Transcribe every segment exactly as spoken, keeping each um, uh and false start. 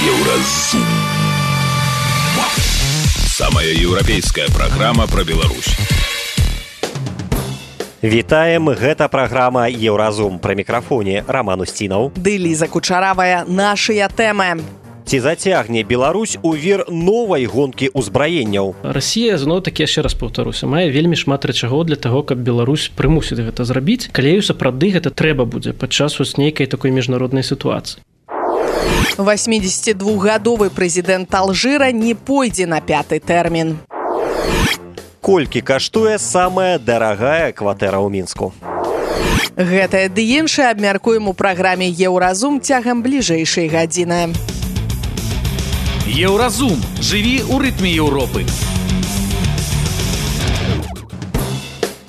Еўразум. Самая еўрапейская праграма пра Беларусь. Вітаем, гэта праграма Еўразум. Пры мікрафоне Роман Устінаў. Ды Ліза Кучаравая. Нашыя тэмы. Ці зацягне Беларусь у вір новай гонкі ўзбраенняў? Расія, зноў-такі, яшчэ раз паўтаруся, мае вельмі шмат рычагоў для таго, каб Беларусь прымусіць гэта зрабіць, калі сапраўды гэта трэба будзе падчас вось нейкай такой міжнароднай сітуацыі. восьмідзесятидвухгадовы прэзідэнт Алжыра не пойдзе на пяты тэрмін. Колькі каштуе самая дарагая кватэра ў Мінску? Гэтае ды іншае абмяркуем у праграме Еўразум цягам бліжэйшай гадзіны. Еўразум. Жыві ў рытме Еўропы.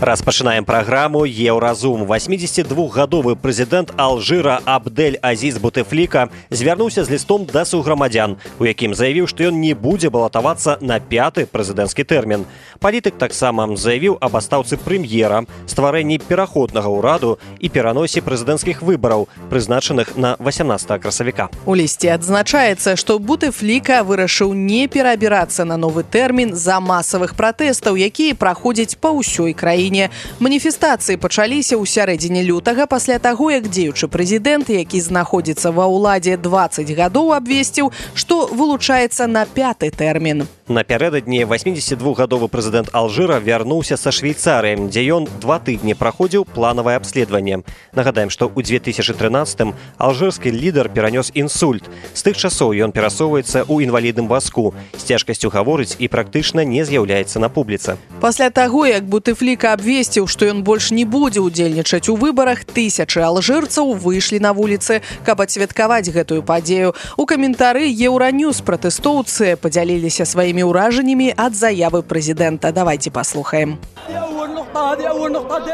Распачынаем праграму Еўразум. восьмідзесятидвухгадовы прэзідэнт Алжыра Абдель-Азіз Бутефліка звярнуўся з лістом да суграмадзян, у якім заявіў, што ён не будзе балатавацца на пяты прэзідэнцкі тэрмін. Палітык таксама заявіў аб адстаўцы прэм'ера, стварэнні пераходнага ўраду і пераносе прэзідэнцкіх выбараў, прызначаных на васямнаццатага красавіка. У лісце адзначаецца, што Бутефліка вырашыў не перабірацца на новы тэрмін з-за масавых пратэстаў, якія праходзяць па ўсёй краіне. Маніфестацыі пачаліся ў сярэдзіне лютага пасля таго, як дзеючы прэзідэнт, які знаходзіцца ва ўладзе дваццаць гадоў, абвесціў, што вылучаецца на пяты тэрмін. Напярэдадні восьмідзесятидвухгадовы прэзідэнт Алжыра вярнуўся са Швейцарыі, дзе ён два тыдні праходзіў планавае абследаванне. Нагадаем, што ў дзве тысячы трынаццатым алжырскі лідар перанёс інсульт. З тых часоў ён перасоўваецца ў інвалідным вазку, з цяжкасцю гаворыць і практычна не з'яўляецца на публіцы. Пасля таго, як Бутефліка абвесціў, што ён больш не будзе ўдзельнічаць у выбарах, тысячы алжырцаў выйшлі на вуліцы, каб адсвяткаваць гэтую падзею. У каментары Еўраньюз пратэстоўцы падзяліліся сваімі ўражаннямі ад заявы прэзідэнта. Давайте послухаем.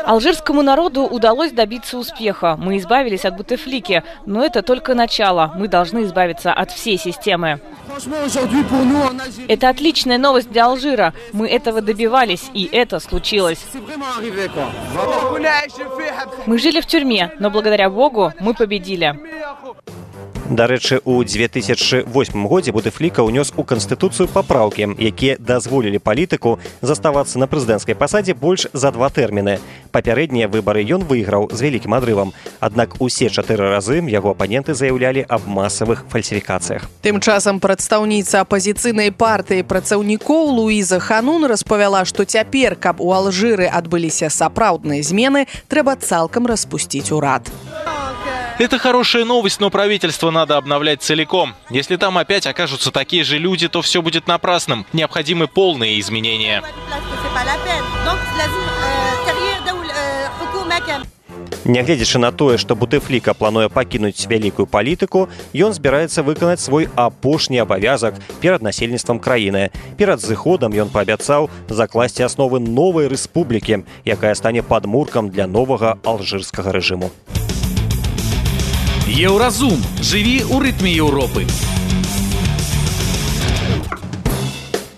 Алжирскому народу удалось добиться успеха. Мы избавились от Бутефлики, но это только начало. Мы должны избавиться от всей системы. Это отличная новость для Алжира. Мы этого добивались, и это случилось. Мы жили в тюрьме, но благодаря Богу мы победили. Дарэчы, у дзве тысячы восьмым годзе Бутефліка ўнёс у Канстытуцыю папраўкі, якія дазволілі палітыку заставацца на прэзідэнцкай пасадзе больш за два тэрміны. Папярэднія выбары ён выйграў з вялікім адрывам. Аднак усе чатыры разы яго апаненты заяўлялі аб масавых фальсіфікацыях. Тым часам прадстаўніца апазіцыйнай партыі працаўнікоў Луіза Ханун распавяла, што цяпер, каб у Алжыры адбыліся сапраўдныя змены, трэба цалкам распусціць урад. Это хорошая новость, но правительство надо обновлять целиком. Если там опять окажутся такие же люди, то все будет напрасным. Необходимы полные изменения. Нягледзячы на тое, што Бутефліка плануе пакінуць вялікую палітыку, ён збіраецца выканаць свой апошні абавязак перад насельніцтвам краіны. Перад зыходам ён паабяцаў закласці асновы новай рэспублікі, якая стане падмуркам для новага алжырскага рэжыму. Еўразум. Жыві ў рытме Еўропы.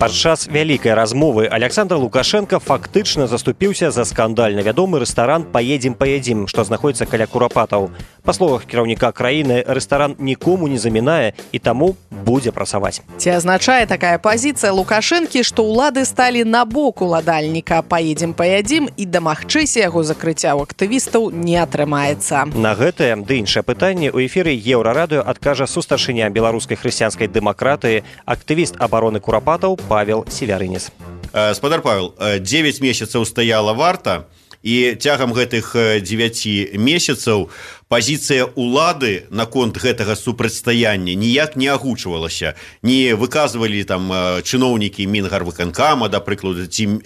Падчас вялікай размовы Александр Лукашенко фактычна заступіўся за скандальна вядомы рэстаран «Поедем, поедим», што знаходзіцца каля Курапатаў. Па словах кіраўніка краіны, рэстаран нікому не замінае і таму будзе працаваць. Ці азначае такая пазіцыя Лукашэнкі, што ўлады сталі на бок уладальніка «Поедем, поедим» і дамагчыся яго закрыцця ў актывістаў не атрымаецца. На гэтае ды іншае пытанне ў эфіры Еўрарадыё адкажа сустаршыня беларускай хрысціянскай дэмакратыі, актывіст абароны Курапатаў Павел Севярынец. Спадар Павел, дзевяць месяцаў стаяла варта, і цягам гэтых дзевяці месяцаў пазіцыя ўлады наконт гэтага супрацьстаяння ніяк не агучвалася. Не выказвалі там чыноўнікі Мінгарвыканкама, да прыкладу, ці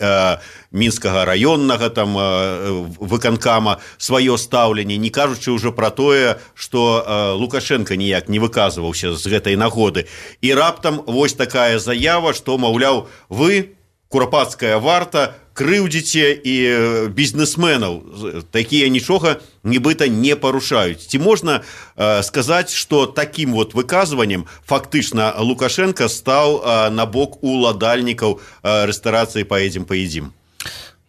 мінскага раённага там выканкама сваё стаўленне, не кажучы ўжо пра тое, што Лукашенко ніяк не выказваўся з гэтай нагоды. І раптам вось такая заява, што, маўляў, вы, курапацкая варта, крыўдзіце і бізнесменаў, такія нічога нібыта не парушаюць. Ці можна э, сказаць, што такім вот выказваннем фактычна Лукашенко стаў э, на бок уладальнікаў э, рэстарацыі «Поедем, поедим»?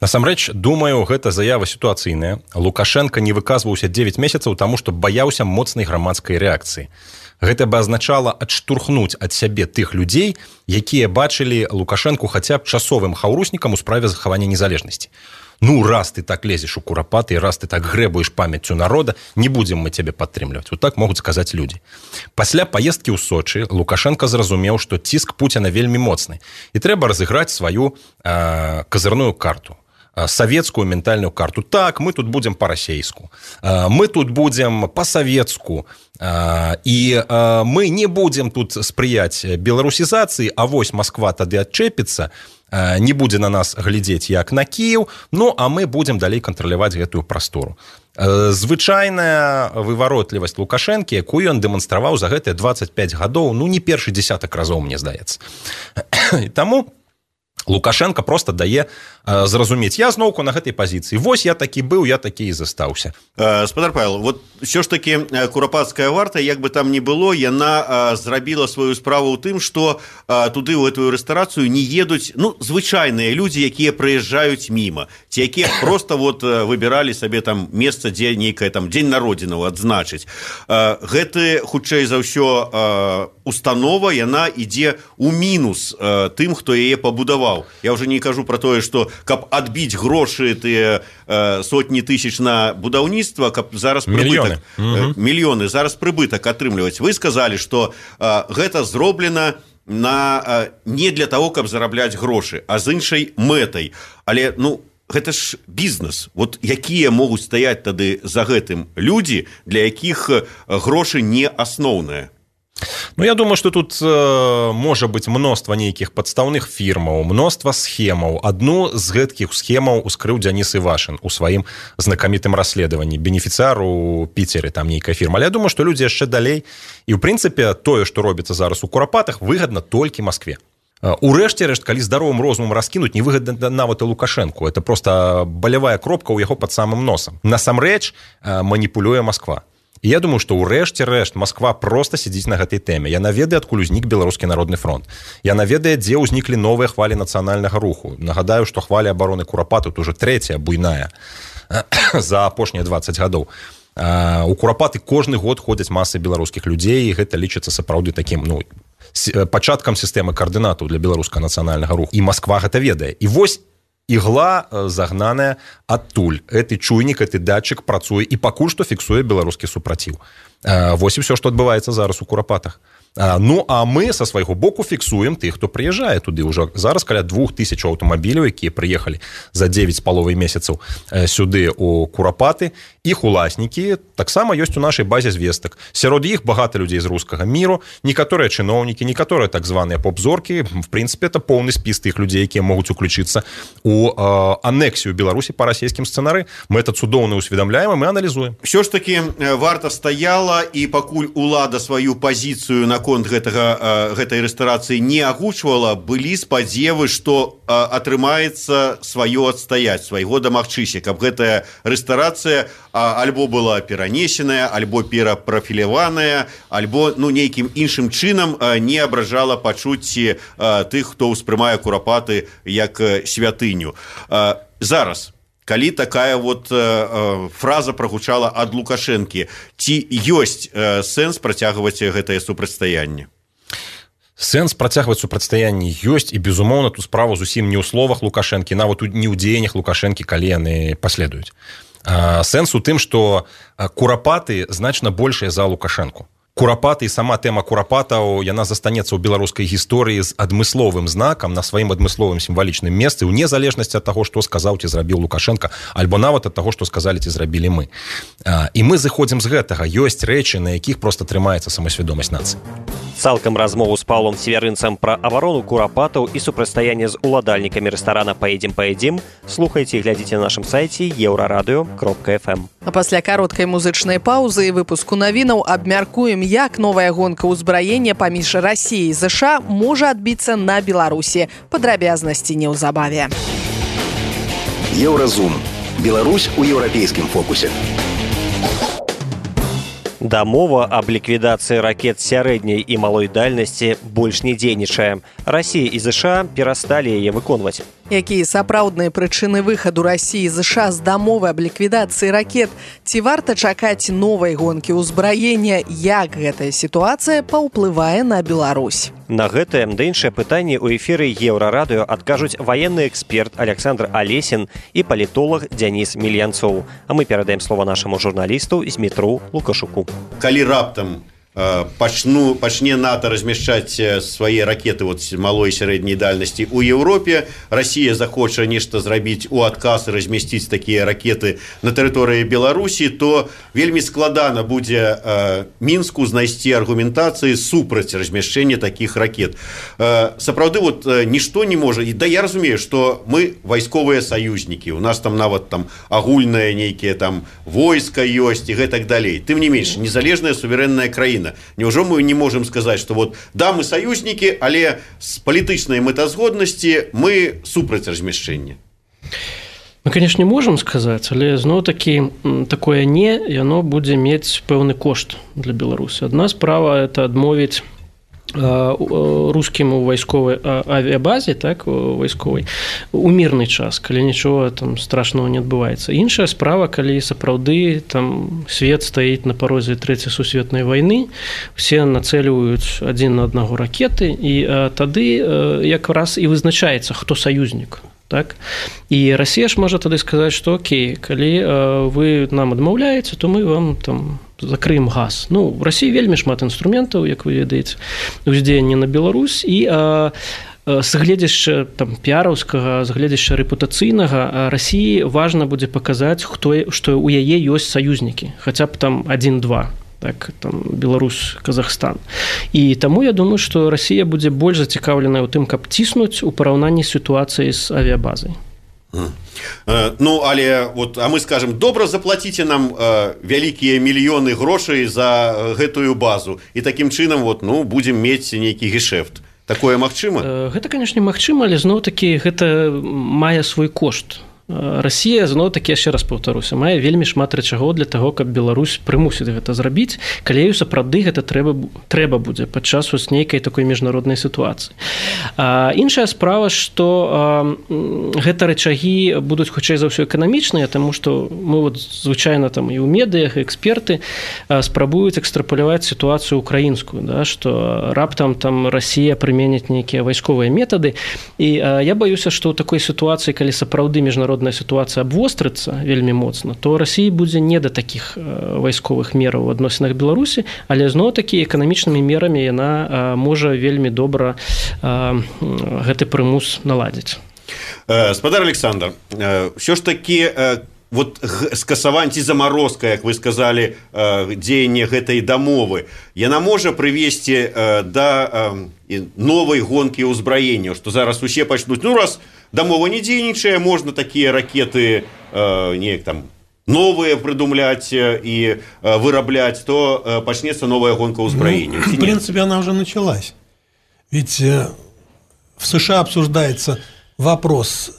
Насамрэч, думаю, гэта заява сітуацыйная. Лукашенко не выказваўся дзевяць месяцаў таму, што баяўся моцнай грамадскай рэакцыі. Гэта бы азначала адштурхнуць ад сябе тых людзей, якія бачылі Лукашэнку хаця б часовым хаўруснікам у справе захавання незалежнасці. Ну, раз ты так лезеш у курапаты, раз ты так грэбуеш памяццю народа, не будзем мы цябе падтрымліваць. Вот так могуць сказаць людзі. Пасля паездкі ў Сочы Лукашенко зразумеў, што ціск Пуціна вельмі моцны, і трэба разыграць сваю э, казырную карту, э, савецкую ментальную карту. Так, мы тут будзем па-расейску, э, мы тут будзем па-савецку, э, і э, мы не будзем тут спрыяць беларусізацыі, а вось Москва тады адчэпіцца, не будзе на нас глядзець як на Кіеў, ну а мы будзем далей кантраляваць гэтую прастору. Звычайная вываротлівасць Лукашэнкі, якую ён дэманстраваў за гэтыя дваццаць пяць гадоў, ну не першы дзесятак разоў, мне здаецца. І таму Лукашенко просто дае э, зразумець, я зноўку на гэтай пазіцыі, вось я такі быў, я такі і застаўся. э, Спадар Павел, вот все ж таки курапацкая варта, як бы там ни было, яна э, зрабіла сваю справу ў тым, што э, туды ў гэтую рэстарацыю не едуць, ну, звычайныя людзі, якія прыязджаюць міма, ці якія просто вот выбіралі сабе там месца, дзе нейкае там дзень народзінаў адзначыць. э, Гэты, хутчэй за ўсё, э, установа, яна ідзе ў мінус э, тым, хто яе пабудаваў. Я уже не кажу про тое, што каб адбіць грошы тыя э, сотні тысяч на будаўніцтва, каб зараз прыбытак, мільёны. Э, мільёны зараз прыбытак атрымліваць. Вы сказалі, што э, гэта зроблена на, э, не для того, каб зарабляць грошы, а з іншай мэтай. Але, ну, гэта ж бізнес. Вот якія могуць стаяць тады за гэтым людзі, для якіх грошы не асноўныя? Ну, я думаю, что тут э, можа быць мноства нейкіх падстаўных фірмаў, мноства схемаў. Адну з гэткіх схемаў ускрыў Дзяніс Івашын у сваім знакамітым расследаванні. Бенефіцыяр у Піцеры, там нейкая фірма. Але я думаю, што людзі яшчэ далей. І, ў прынцыпе, тое, што робіцца зараз у курапатах, выгадна толькі Маскве. Урэшце рэшт, калі здаровым розумам раскінуць, не выгадна нават і Лукашэнку. Это просто балявая кропка ў яго пад самым носам. Насамрэч маніпулюе Масква. І я думаю, што ўрэшце рэшт Масква проста сядзіць на гэтай тэме. Яна ведае, адкуль узнік Беларускі народны фронт. Яна ведае, дзе ўзніклі новыя хвалі нацыянальнага руху. Нагадаю, што хваля абароны курапату тут уже трэцяя буйная за апошнія дваццаць гадоў. У курапаты кожны год ходзяць масы беларускіх людзей, і гэта лічыцца сапраўды такім, ну, пачаткам сістэмы каардынатаў для беларускага нацыянальнага руху. І Масква гэта ведае. І вось ігла загнаная адтуль. Гэты чуйнік, гэты датчык працуе і пакуль што фіксуе беларускі супраціў. Вось і ўсё, што адбываецца зараз у курапатах. Ну, а мы са свайго боку фіксуем тых, хто прыязджае туды. Ўжо зараз каля двух тысяч аўтамабіляў, якія прыехалі за дзевяць з паловай месяцаў сюды у курапаты. Іх уласнікі таксама ёсць у нашай базе звестак. Сярод іх багата людзей з рускага міру, некаторыя чыноўнікі, некаторыя так званыя поп-зоркі. В прынцыпе, это поўны спіс тых людзей, якія могуць уключыцца у э, анексію Беларусі па расійскім сцэнары. Мы это цудоўна усведамляем, і мы аналізуем. Все ж таки варта стаяла, і пакуль улада сваю пазіцыю на наконт гэтага, гэтай рэстарацыі не агучвала, былі спадзевы, што атрымаецца сваё адстаяць, свайго дамагчыся, каб гэтая рэстарацыя альбо была перанесеная, альбо перапрафіляваная, альбо, ну, нейкім іншым чынам не абражала пачуцці тых, хто ўспрымае курапаты як святыню. Зараз, калі такая вот э, фраза прагучала ад Лукашэнкі, ці ёсць э, сэнс працягваць гэтае супрацьстаянне? Сэнс працягваць супрацьстаянне ёсць, і, безумоўна, тут справа зусім не ў словах Лукашэнкі, нават не ў дзеяннях Лукашэнкі, калі яны паследуюць. А, сэнс у тым, што курапаты значна большыя за Лукашэнку. Курапаты і сама тэма курапатаў, яна застанецца ў беларускай гісторыі з адмысловым знакам на сваім адмысловым сімвалічным месцы, ў незалежнасці ад таго, што сказаў ці зрабіў Лукашенко, альбо нават ад таго, што сказалі ці зрабілі мы. І мы зыходзім з гэтага. Ёсць рэчы, на якіх проста трымаецца самасвядомасць нацыі. Цалкам размову з Паўлом Северынцам пра абарону курапатаў і супрацьстаянне з уладальнікамі рэстарана «Паедзем, паедзем» слухайце і глядзіце на нашым сайце еўрарадыё кропка эф эм. А пасля кароткай музычнай паўзы і выпуску навінаў абмяркуем, як новая гонка ўзбраення паміж Расіяй і ЗША можа адбіцца на Беларусі. Падрабязнасці неўзабаве. Еўразум. Беларусь у еўрапейскім фокусе. Дамова аб ліквідацыі ракет сярэдняй і малой дальнасці больш не дзейнічае. Расія і ЗША перасталі яе выконваць. Якія сапраўдныя прычыны выхаду Расіі з ЗША з дамовы аб ліквідацыі ракет? Ці варта чакаць новай гонкі ўзбраення? Як гэтая сітуацыя паўплывае на Беларусь? На гэтае да іншае пытанне ў эфіры Еўрарадыё адкажуць ваенны эксперт Александр Алесін і палітолог Дзяніс Мільянцоў. А мы перадаем слова нашаму журналісту Змітру Лукашуку. Калі раптам пачну пачне НАТО размяшчаць свае ракеты вот малой і сярэдняй дальнасці ў Еўропе, Расія захоча нешта зрабіць у адказ і размясціць такія ракеты на тэрыторыі Беларусі, то вельмі складана будзе э, Мінску знайсці аргументацыі супраць размяшчэння такіх ракет. Э, сапраўды вот э, нішто не можа. І да я разумею, што мы вайсковыя саюзнікі, у нас там нават там агульнае нейкія там войска ёсць і гэтак далей. Тым не менш, незалежная суверэнная краіна. Неужо мы не можем сказать, что вот да, мы союзники, але с палітычнай мэтазгоднасці мы супраць размяшчэння? Мы, конечно, не можем сказаць, але зноў-такі такое не, яно будзе мець пэўны кошт для Беларусі. Адна справа это адмовіць рускім у вайсковай авіабазе, так, вайсковай, у мірны час, калі нічога там страшного не адбываецца. Іншая справа, калі сапраўды там свет стаіць на парозе трэцяй сусветнай вайны, все нацэльваюць адзін на аднаго ракеты, і а, тады а, якраз і вызначаецца, хто саюзнік. Так? І Расія ж можа тады сказаць, што окей, калі а, вы нам адмаўляеце, то мы вам там закрыем газ. Ну, в Расіі вельмі шмат інструментаў, як вы ведаеце, ўздзеяння на Беларусь, і а, з гледзяшча там піараўскага, з гледзяшча рэпутацыйнага Расіі важна будзе паказаць, хто, што ў яе ёсць саюзнікі, хаця б там адзін-два. Так, там, Беларусь, Казахстан. І таму я думаю, што Расія будзе больш зацікаўленая ў тым, каб ціснуць у параўнанні з сітуацыяй з авіабазай. Ну, але вот, а мы скажем, добра заплаціце нам э, вялікія мільёны грошай за гэтую базу, і такім чынам вот, ну, будзем мець нейкі гешэфт. Такое магчыма? Гэта, канешне, магчыма, але зноў-такі гэта мае свой кошт. Расія, зноў-такі, яшчэ раз паўтаруся, мае вельмі шмат рэчагоў для таго, каб Беларусь прымусіць гэта зрабіць, калі сапраўды гэта трэба, трэба будзе падчас вось нейкай такой міжнароднай сітуацыі. А, іншая справа, што а, гэта рэчагі будуць хутчэй за ўсё эканамічныя, таму што мы вот, звычайна там і ў медыях, і эксперты а, спрабуюць экстрапаляваць сітуацыю украінскую, да, што раптам там Расія прыменіць нейкія вайсковыя метады. І а, я баюся, што ў такой сітуацыі, калі сапраўды міжнародная сітуацыя абвострыцца вельмі моцна, то Расіі будзе не да такіх вайсковых мераў у адносінах Беларусі, але зноў-такі эканамічнымі мерамі яна можа вельмі добра гэты прымус наладзіць. Спадар Александр, ўсё ж такі вот скасаванне ці замарозка, як вы сказалі, дзеянне гэтай дамовы, яна можа прывесці да новай гонкі ўзбраення, што зараз усе пачнуць, ну раз дамова не дзейнічае, можна такія ракеты э, неяк там новые придумлять и э, вырабляць, то э, пачнецца новая гонка ўзбраення. Ну, в принципе, она уже началась. Ведь э, в США обсуждается вопрос,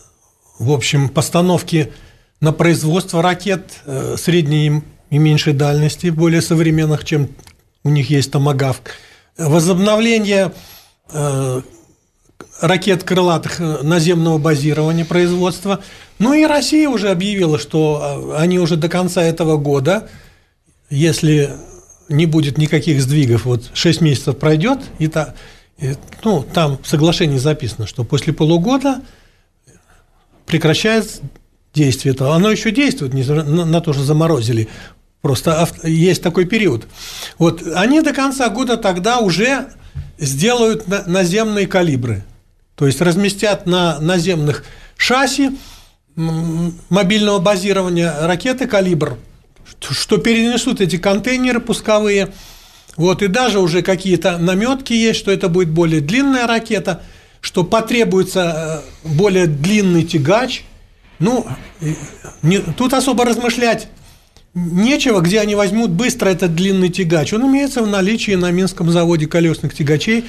в общем, постановки на производство ракет э, средней и меньшей дальности, более современных, чем у них есть томагавк, возобновление э, ракет крылатых наземного базирования производства. Ну и Россия уже объявила, что они уже до конца этого года, если не будет никаких сдвигов, вот шесть месяцев пройдет, и та, и, ну, там в соглашении записано, что после полугода прекращается действие этого. Оно еще действует, не на, на то, что заморозили. Просто есть такой период. Вот они до конца года тогда уже сделают наземные калибры. То есть разместят на наземных шасси мобильного базирования ракеты «Калибр», что перенесут эти контейнеры пусковые. Вот, и даже уже какие-то наметки есть, что это будет более длинная ракета, что потребуется более длинный тягач. Ну, не, тут особо размышлять нечего, где они возьмут быстро этот длинный тягач. Он имеется в наличии на Минском заводе колесных тягачей.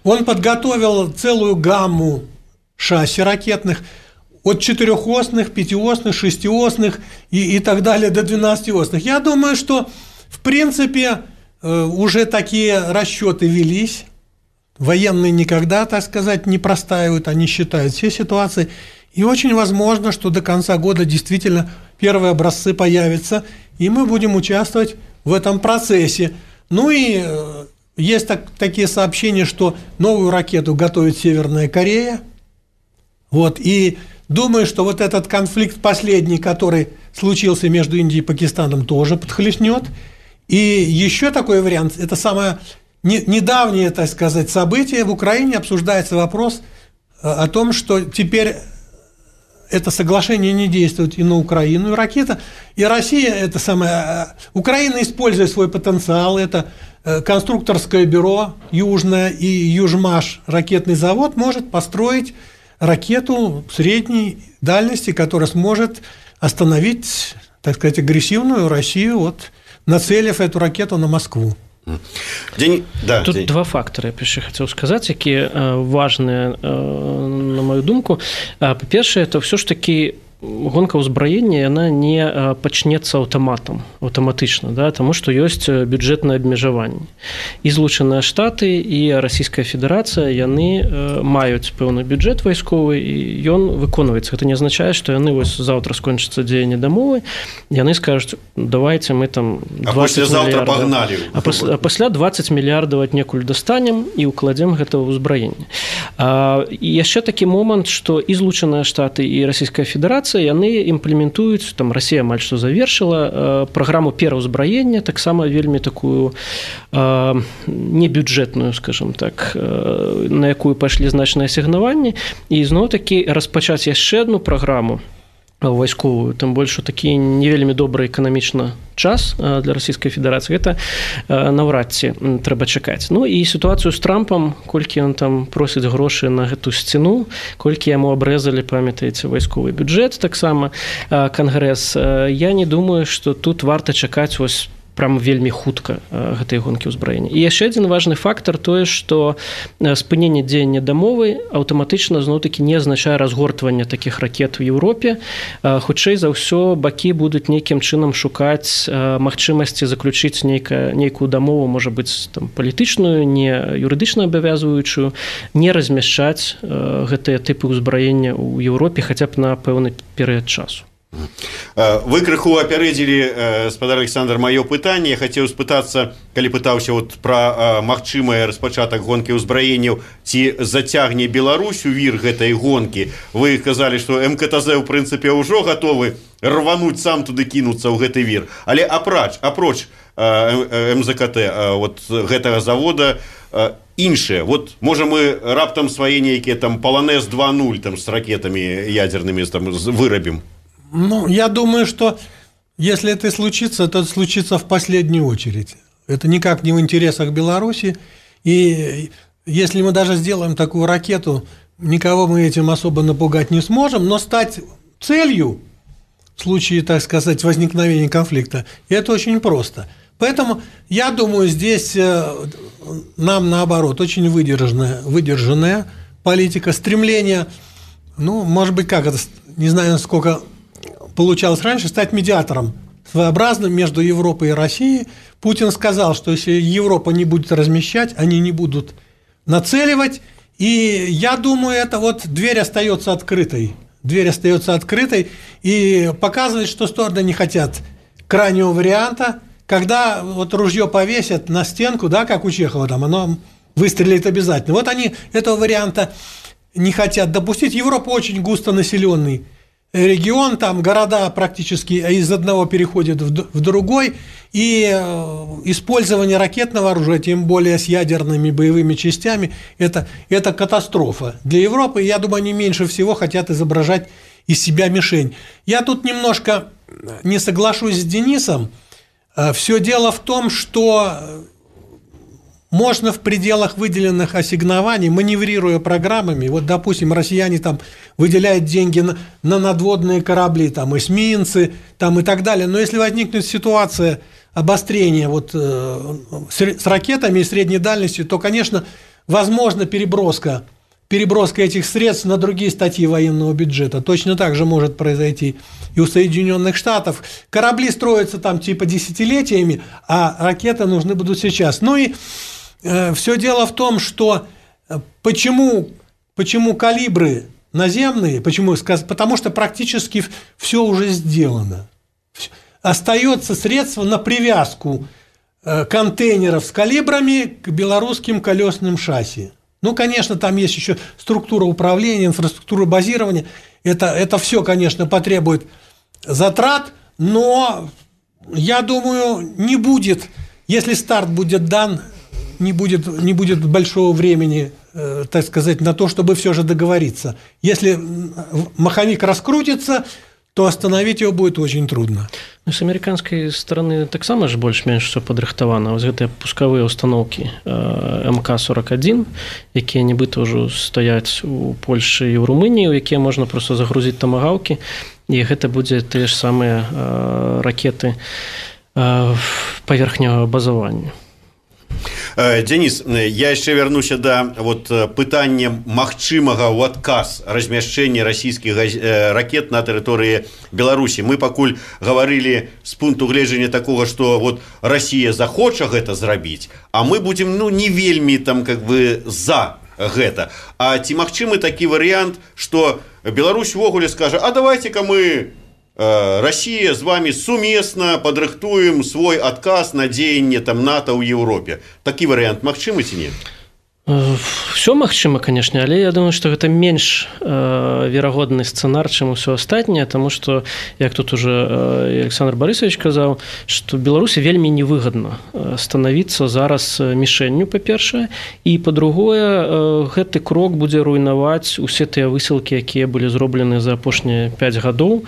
Он подготовил целую гамму шасси ракетных, от четырехосных, пятиосных, шестиосных и, и так далее до двенадцатиосных. Я думаю, что в принципе уже такие расчеты велись. Военные никогда, так сказать, не простаивают, они считают все ситуации. И очень возможно, что до конца года действительно первые образцы появятся, и мы будем участвовать в этом процессе. Ну и есть так, такие сообщения, что новую ракету готовит Северная Корея. Вот, и думаю, что вот этот конфликт последний, который случился между Индией и Пакистаном, тоже подхлестнет. И еще такой вариант, это самое недавнее, так сказать, событие. В Украине обсуждается вопрос о том, что теперь это соглашение не действует и на Украину, и ракета. И Россия, это самое, Украина, используя свой потенциал, это конструкторское бюро Южное и Южмаш, ракетный завод, может построить ракету средней дальности, которая сможет остановить, так сказать, агрессивную Россию, вот, нацелив эту ракету на Москву. День... Да, Тут день. Два фактары, я яшчэ хацеў сказаць, якія важныя, на мою думку. Па-першае, это все ж таки гонка ўзбраення, яна не пачнецца аўтаматам, аўтаматычна, да, таму што ёсць бюджэтнае абмежаванне. І Злучаныя Штаты, і Расійская Федэрацыя, яны маюць пэўны бюджэт вайсковы, і ён выконваецца. Гэта не азначае, што яны вось заўтра скончыцца дзеянне дамовы, яны скажуць, давайте мы там двадцать мільярдаў, а, пас, а пасля двадцать мільярдаў аднекуль дастанем і ўкладзем гэта ў ўзбраенне. І яшчэ такі момант, што і Злучаныя Штаты, і Расійская Федэрацыя яны імплементуюць, там Расія амаль што завершыла праграму пераўзбраення, таксама вельмі такую э, небюджэтную, скажем так, э, на якую пайшлі значныя асігнаванні, і зноў-такі распачаць яшчэ адну праграму вайсковую, тым больш такі не вельмі добры эканамічна час для Расійскай Федэрацыі, гэта наўрад ці трэба чакаць. Ну і сітуацыю з Трампам, колькі ён там просіць грошы на гэту сцяну, колькі яму абрэзалі, памятаеце, вайсковы бюджэт, таксама Кангрэс, я не думаю, што тут варта чакаць вось прям вельмі хутка гэтай гонкі ўзбраення. І яшчэ адзін важны фактар тое, што спыненне дзеяння дамовы аўтаматычна зноў-такі не азначае разгортвання такіх ракет у Еўропе. Хутчэй за ўсё бакі будуць нейкім чынам шукаць магчымасці заключыць нейка, нейкую дамову, можа быць там палітычную, не юрыдычна абавязваючую, не размяшчаць гэтыя тыпы ўзбраення ў Еўропе хаця б на пэўны перыяд часу. Вы крыху апярэдзілі, спадар Александр, маё пытанне. Я хацеў спытацца, калі пытаўся вот пра магчымыя распачатак гонкі ўзбраенняў, ці зацягне Беларусь у вір гэтай гонкі. Вы казалі, што эм ка тэ зэ ў прынцыпе ўжо гатовы рвануць сам туды кінуцца ў гэты вір. Але апроч, апроч эм зэ ка тэ вот гэтага завода іншыя. Вот можа мы раптам свае нейкія там Полонез два нуль там з ракетамі ядернымі там вырабім. Ну, я думаю, что если это случится, то это случится в последнюю очередь. Это никак не в интересах Беларуси. И если мы даже сделаем такую ракету, никого мы этим особо напугать не сможем, но стать целью в случае, так сказать, возникновения конфликта, это очень просто. Поэтому, я думаю, здесь нам, наоборот, очень выдержанная, выдержанная политика, стремление, ну, может быть, как это, не знаю, сколько получалось раньше, стать медиатором своеобразным между Европой и Россией. Путин сказал, что если Европа не будет размещать, они не будут нацеливать. И я думаю, это вот дверь остается открытой. Дверь остается открытой и показывает, что стороны не хотят крайнего варианта, когда вот ружье повесят на стенку, да, как у Чехова, там оно выстрелит обязательно. Вот они этого варианта не хотят допустить. Европа очень густонаселенный регион, там города практически из одного переходят в другой, и использование ракетного оружия, тем более с ядерными боевыми частями, это, это катастрофа для Европы. Я думаю, они меньше всего хотят изображать из себя мишень. Я тут немножко не соглашусь с Денисом. Все дело в том, что можно в пределах выделенных ассигнований, маневрируя программами, вот, допустим, россияне там выделяют деньги на, на надводные корабли, там, эсминцы, там, и так далее, но если возникнет ситуация обострения вот, э, с, с ракетами и средней дальностью, то, конечно, возможно переброска, переброска этих средств на другие статьи военного бюджета. Точно так же может произойти и у Соединенных Штатов. Корабли строятся там типа десятилетиями, а ракеты нужны будут сейчас. Ну и Все дело в том, что почему, почему калибры наземные. Почему? Потому что практически все уже сделано. Остается средство на привязку контейнеров с калибрами к белорусским колесным шасси. Ну, конечно, там есть еще структура управления, инфраструктура базирования. Это, это все, конечно, потребует затрат, но, я думаю, не будет, если старт будет дан, не будет, не будет большого времени, э, так сказать, на то, чтобы все же договориться. Если маховик раскрутится, то остановить его будет очень трудно. Ну, с американской стороны таксама ж больш-менш все падрыхтавана. Вось гэтыя пускавыя установкі эм ка сорок один, якія нібыта ўжо стаяць у Польшы і ў Румыніі, у якія можна проста загрузіць тамагаўкі, і гэта будзе тыя ж самыя ракеты паверхневага базавання. Денис, я яшчэ вярнуся да вот пытання магчымага ў адказ размяшчэння расійскіх ракет на тэрыторыі Беларусі. Мы пакуль гаварылі з пункту гледжання такога, што вот Расія захоча гэта зрабіць, а мы будзем ну не вельмі там как бы за гэта. А ці магчымы такі варыянт, што Беларусь увогуле скажа: а давайте-ка мы Россия с вами суместно подрыхтуем свой отказ на дзеянне там НАТО ў Европе. Такі варыянт магчымы ці не? Все магчыма, конечно, але я думаю, что гэта менш э, верагодны сцэнар, чым усё астатняе, тому что, як тут уже э, Александр Борисович казаў, что Беларусі вельмі невыгадна становіцца зараз мішэнню, па-першае, і па-другое, э, гэты крок будзе руйнаваць усе тыя высілкі, якія былі зроблены за апошнія пяць гадоў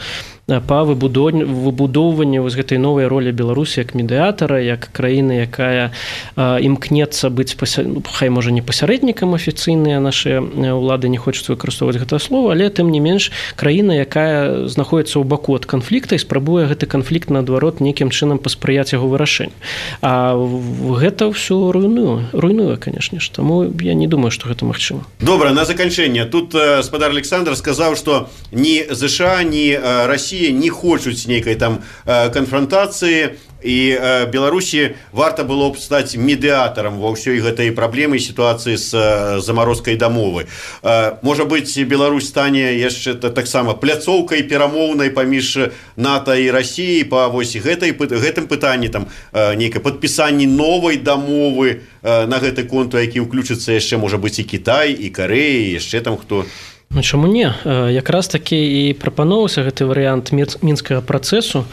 па выбудоўванню вось гэтай новай ролі Беларусі як медыятара, як краіны, якая э, імкнецца быць пася... ну, хай можа не пасярэднікам афіцыйныя нашыя ўлады не хочуць выкарыстоўваць гэта слово, але тым не менш краіна, якая знаходіцца ў баку ад канфлікта і спрабуе гэты канфлікт наадварот нейкім чынам паспрыяць яго вырашэнню. А гэта ўсё руйнуе, руйнуе, канешне ж. Таму я не думаю, што гэта магчыма. Добра, на заканчэнне. Тут э, спадар Александр сказаў, што ні ЗША, ні э, Расія не хочуць нейкай там э, канфронтацыі, і э, Беларусі варта было б стаць медыятарам ва ўсёй гэтай праблемы сітуацыі з э, замарозкай дамовы. Э, можа быць, Беларусь стане яшчэ таксама пляцоўкай перамоўнай паміж НАТО і Расіяй па вось гэтай гэтым пытанні там э, нейкай падпісанні новай дамовы э, на гэты конту, які ўключыцца яшчэ можа быць і Кітай, і Карэя, і яшчэ там хто. Ну, чаму не? Якраз такі і прапаноўваўся гэты варыянт мінскага працэсу,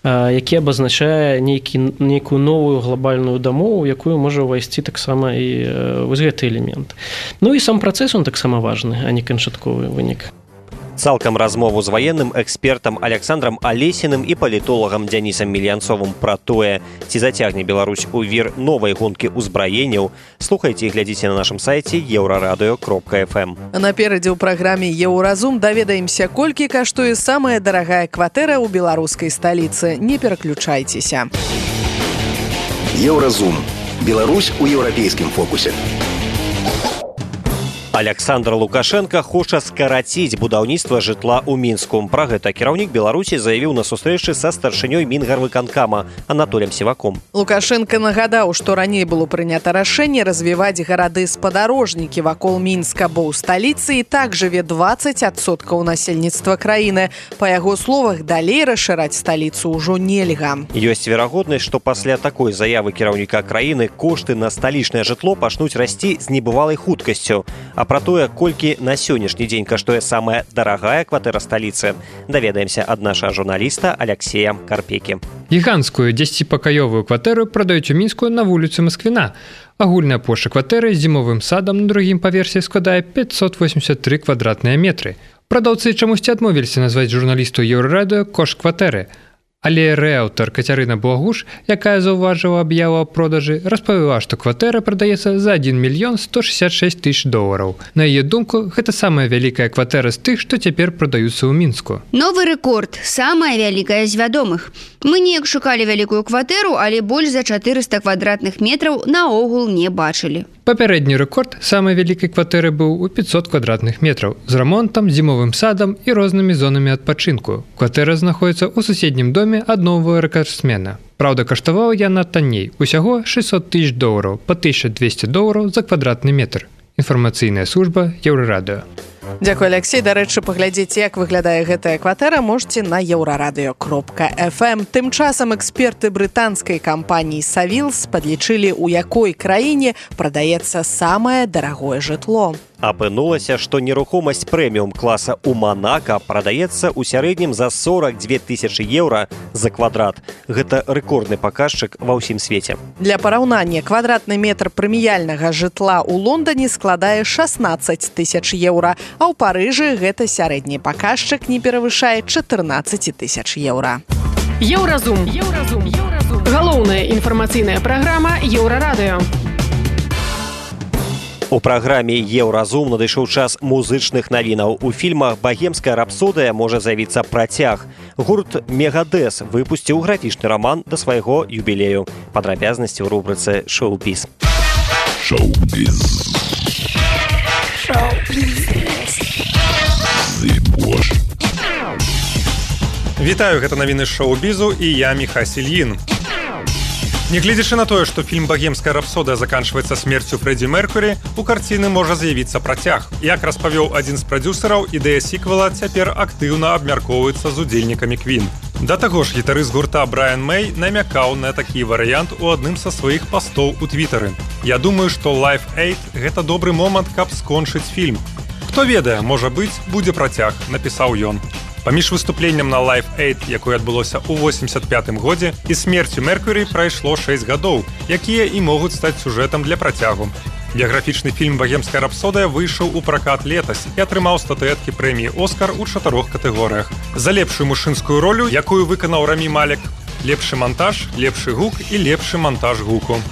які абазначае нейкі, нейкую новую глобальную дамову, якую можа ўвайсці таксама і вось гэты элемент. Ну і сам працэс, он таксама важны, а не канчатковы вынік. Цалкам размову з ваенным экспертам Александром Алесіным і палітолагам Дзянісам Мільянцовым пра тое, ці зацягне Беларусь у вір новай гонкі ўзбраенняў, слухайце і глядзіце на нашым сайце еўрарадыё кропка эф эм. Наперадзе ў праграме «Еўразум» даведаемся, колькі каштуе самая дарагая кватэра ў беларускай сталіцы. Не пераключайцеся. Еўразум. Беларусь у еўрапейскім фокусе. Александр Лукашенко хоча скараціць будаўніцтва жытла ў Мінску. Пра гэта кіраўнік Беларусі заявіў на сустрэчы са старшынёй Мінгарвыканкама Анатолем Сіваком. Лукашенко нагадаў, што раней было прынята рашэнне развіваць гарады-спадарожнікі вакол Мінска, бо ў сталіцы і так жыве дваццаць адсоткаў насельніцтва краіны. Па яго словах, далей расшыраць сталіцу ўжо нельга. Ёсць верагоднасць, што пасля такой заявы кіраўніка краіны кошты на сталічнае жытло пачнуць расці з небывалай хуткасцю. А пра тое, колькі на сённяшні дзень каштуе самая дарагая кватэра сталіцы, даведаемся ад нашага журналіста Алексея Карпекі. Гіганцкую дзесяціпакаёвую кватэру прадаюць у Мінску на вуліцы Масквіна. Агульная плошча кватэры з зімовым садам на другім паверсе складае пятьсот восемьдесят три квадратныя метры. Прадаўцы чамусьці адмовіліся назваць журналісту Еўрарадыё кошт кватэры. Але рыэлтар Кацярына Благуш, якая заўважыла аб'яву аб продажы, распавяла, што кватэра прадаецца за адзін мільён сто шэсцьдзесят шэсць тысяч долараў. На яе думку, гэта самая вялікая кватэра з тых, што цяпер прадаюцца ў Мінску. Новы рэкорд, самая вялікая з вядомых. Мы неяк шукалі вялікую кватэру, але больш за чатырыста квадратных метраў наогул не бачылі. Папярэдні рэкорд самай вялікай кватэры быў у пятьсот квадратных метраў з рамонтам, зімовым садам і рознымі зонамі адпачынку. Кватэра знаходіцца ў суседнім доме аднога рэкордсмена. Праўда, каштавала яна танней, усяго шэсцьсот тысяч долараў, па тысяча двесце долараў за квадратны метр. Інфармацыйная служба Еўрарадыё. Дзякуй, Алексей. Дарэчы, паглядзець, як выглядае гэтая кватэра, можете на еўрарадыё кропка эф эм. Тым часам эксперты брытанскай кампаніі Savills падлічылі, у якой краіне прадаецца самае дарагое жытло. Апынулася, што нерухомасць прэміум класа ў Манака прадаецца ў сярэднім за сорок две тысячы еўра за квадрат. Гэта рэкордны паказчык ва ўсім свеце. Для параўнання, квадратны метр прэміяльнага жытла ў Лондоне складае шаснаццаць тысяч еўра, а ў Парыжы гэта сярэдні паказчык не перавышае чатырнаццаць тысяч еўра. Еўразум. Еўразум. Еўразум. Галоўная інфармацыйная праграма Еўрарадыё. У праграме «Еўразум» надышоў час музычных навінаў. У фільмах «Багемская рапсодыя» можа з'явіцца працяг. Гурт «Мегадэс» выпусціў графічны раман да свайго юбілею. Падрабязнасці ў рубрыцы «Шоу-біз». Шоу-біз. Шоу-біз. Вітаю, гэта навіны шоу-бізу і я Міха Сільін. Нягледзячы на тое, што фільм «Багемская рапсодыя» заканчваецца смерцю Фрэдзі Меркурі, у карціны можа з'явіцца працяг. Як распавёў адзін з прадзюсараў, ідэя сіквела цяпер актыўна абмяркоўваецца з удзельнікамі Квін. Да таго ж, гітарыст гурта Брайан Мэй намякаў на такі варыянт у адным са сваіх пастоў у твітары. Я думаю, што Live Aid – гэта добры момант, каб скончыць фільм. Хто ведае, можа быць, будзе працяг, напісаў ён. Паміж выступленнем на Live Aid, якое адбылося ў восемьдесят пятым годзе, і смерцю Меркурі прайшло шэсць гадоў, якія і могуць стаць сюжэтам для працягу. Біяграфічны фільм «Багемская рапсодыя» выйшаў у пракат летась і атрымаў статуэткі прэміі «Оскар» у чатырох катэгорыях. За лепшую мужчынскую ролю, якую выканаў Рамі Малек, лепшы монтаж, лепшы гук і лепшы монтаж гуку.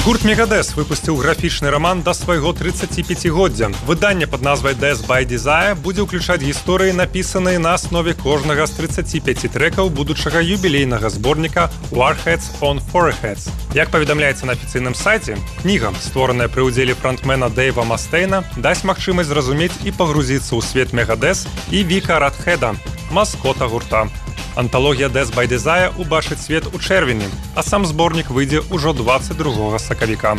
Гурт «Мегадэс» выпусціў графічны раман да свайго трыццаціпяцігоддзя. Выданне пад назвай «Death by Desire» будзе ўключаць гісторыі, напісаныя на аснове кожнага з трыццаці пяці трэкаў будучага юбілейнага зборніка «Warheads on Foreheads». Як паведамляецца на афіцыйным сайце, кніга, створаная пры ўдзеле франтмена Дэйва Мастейна, дасць магчымасць зразумець і пагрузіцца ў свет «Мегадэс» і Віка Радхеда, маскота гурта. Анталогія «Death by Desire» убачыць свет у чэрвені, а сам зборнік выйдзе ўжо дваццаць другога сакавіка.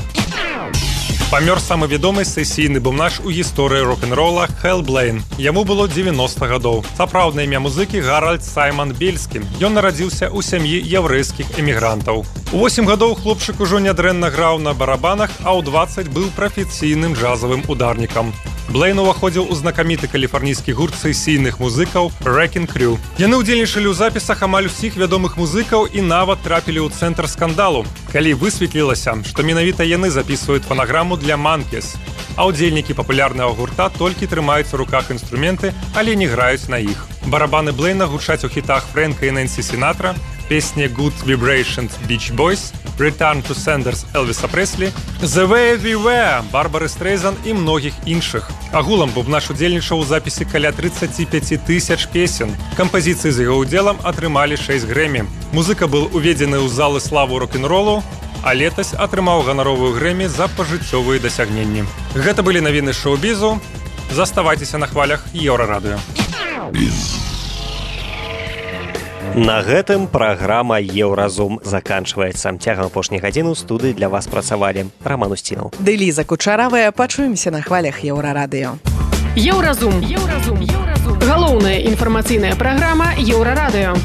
Памёр самы вядомы сесійны бумнаш у гісторыі рок-н-рола Хэл Блейн. Яму было дзевяноста гадоў. Сапраўднае імя музыкі Гаральд Сайман Бельскі. Ён нарадзіўся ў сям'і яўрэйскіх эмігрантаў. У восем гадоў хлопчык ужо нядрэнна граў на барабанах, а ў дваццаць быў прафесійным джазавым ударнікам. Блейн уваходзіў у знакаміты каліфарнійскі гурт сесійных музыкаў Wrecking Crew. Яны ўдзельнічалі ў запісах амаль усіх вядомых музыкаў і нават трапілі ў цэнтр скандалу, калі высветлілася, што менавіта яны запісваюць фанаграму для Monkeys, а ўдзельнікі папулярнага гурта толькі трымаюць у руках інструменты, але не граюць на іх. Барабаны Блейна гучаць у хітах Фрэнка і Нэнсі Сінатра, песні Good Vibrations Beach Boys, Return to Sanders Элвіса Преслі, The Way We Were, Барбары Стрейзан і многіх іншых. Агулам бубнаш удзельнічаў у запісе каля трыццаці пяці тысяч песен. Кампазіцыі з яго ўдзелам атрымалі шэсць Грэмі. Музыка быў уведзены ў залы славу рок-н-ролу, а летась атрымаў ганаровую Грэмі за пажыццёвыя дасягненні. Гэта былі навіны шоу-бізу. Заставайцеся на хвалях Еўрарадыё. На гэтым праграма «Еўразум» заканчваецца. Цягам апошняй гадзіны ў студыі для вас працавалі Раман Устінаў. Ды Ліза Кучаравая. Пачуемся на хвалях Еўрарадыё. Еўразум. Еўразум. Еўразум. Галоўная інфармацыйная праграма Еўрарадыё.